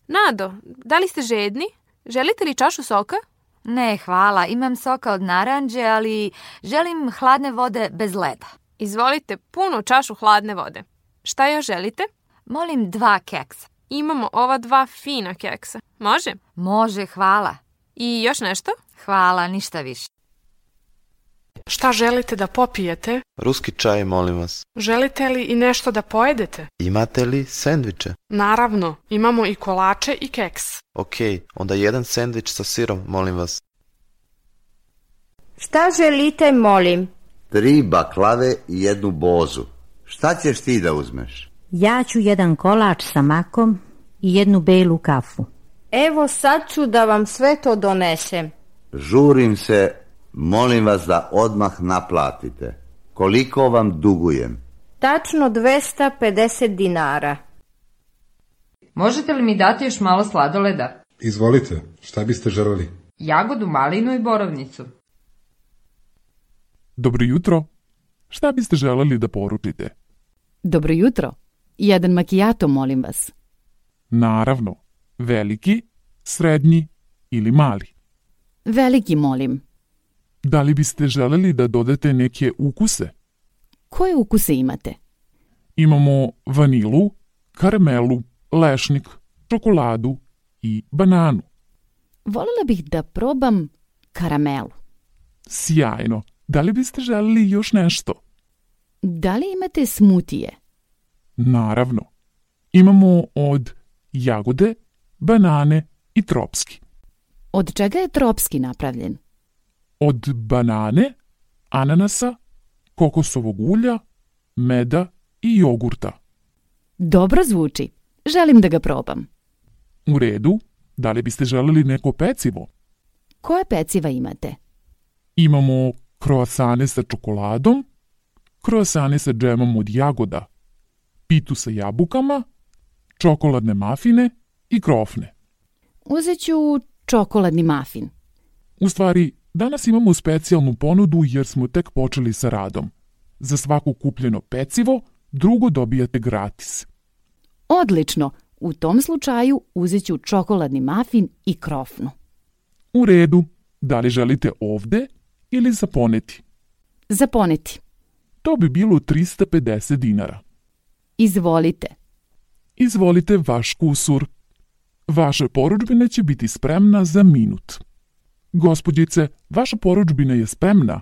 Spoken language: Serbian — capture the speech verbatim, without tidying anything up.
Nado, da li ste žedni? Želite li čašu soka? Ne, hvala. Imam soka od naranđe, ali želim hladne vode bez leda. Izvolite punu čašu hladne vode. Šta još želite? Molim dva keksa. Imamo ova dva fina keksa. Može? Može, hvala. I još nešto? Hvala, ništa više. Šta želite da popijete? Ruski čaj, molim vas. Želite li i nešto da pojedete? Imate li sendviče? Naravno, imamo i kolače i keks. Ok, onda jedan sendvič sa sirom, molim vas. Šta želite, molim? Tri baklave i jednu bozu. Šta ćeš ti da uzmeš? Ja ću jedan kolač sa makom i jednu belu kafu. Evo sad ću da vam sve to donesem. Žurim se, molim vas da odmah naplatite. Koliko vam dugujem? Tačno dvesta pedeset dinara. Možete li mi dati još malo sladoleda? Izvolite, šta biste želeli? Jagodu, malinu i borovnicu. Dobro jutro. Šta biste želeli da poručite? Dobro jutro. Jedan makijato, molim vas. Naravno. Veliki, srednji ili mali? Veliki, molim. Da li biste želeli da dodate neke ukuse? Koje ukuse imate? Imamo vanilu, karamelu, lešnik, čokoladu i bananu. Voljela bih da probam karamelu. Sjajno. Da li biste želeli još nešto? Da li imate smutije? Naravno. Imamo od jagode, banane i tropski. Od čega je tropski napravljen? Od banane, ananasa, kokosovog ulja, meda i jogurta. Dobro zvuči. Želim da ga probam. U redu. Da li biste želeli neko pecivo? Koje peciva imate? Imamo kroasane sa čokoladom, kroasane sa džemom od jagoda, pitu sa jabukama, čokoladne mafine i krofne. Uzet ću čokoladni mafin. U stvari, danas imamo specijalnu ponudu jer smo tek počeli sa radom. Za svako kupljeno pecivo, drugo dobijate gratis. Odlično! U tom slučaju uzet ću čokoladni mafin i krofnu. U redu. Da li želite ovde ili za poneti? Za poneti. To bi bilo trista pedeset dinara. Izvolite. Izvolite vaš kusur. Vaša porudžbina će biti spremna za minut. Gospođice, vaša porudžbina je spremna.